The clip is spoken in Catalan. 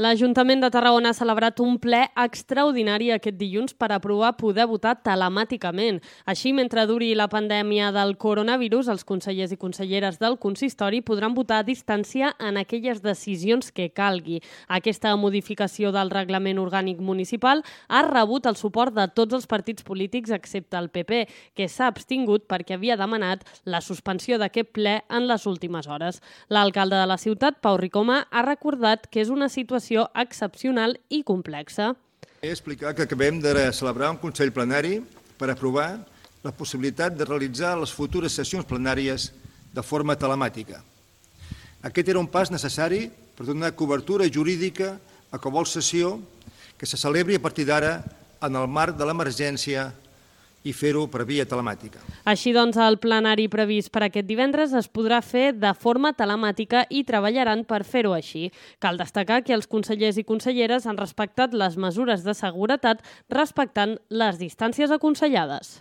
L'Ajuntament de Tarragona ha celebrat un ple extraordinari aquest dilluns per aprovar poder votar telemàticament. Així, mentre duri la pandèmia del coronavirus, els consellers i conselleres del consistori podran votar a distància en aquelles decisions que calgui. Aquesta modificació del reglament orgànic municipal ha rebut el suport de tots els partits polítics excepte el PP, que s'ha abstingut perquè havia demanat la suspensió d'aquest ple en les últimes hores. L'alcalde de la ciutat, Pau Ricoma, ha recordat que és una situació excepcional i complexa. He explicat que acabem de celebrar un Consell Plenari per aprovar la possibilitat de realitzar les futures sessions plenàries de forma telemàtica. Aquest era un pas necessari per donar cobertura jurídica a qualsevol sessió que se celebri a partir d'ara en el marc de l'emergència i fer-ho per via telemàtica. Així doncs, el plenari previst per aquest divendres es podrà fer de forma telemàtica i treballaran per fer-ho així. Cal destacar que els consellers i conselleres han respectat les mesures de seguretat respectant les distàncies aconsellades.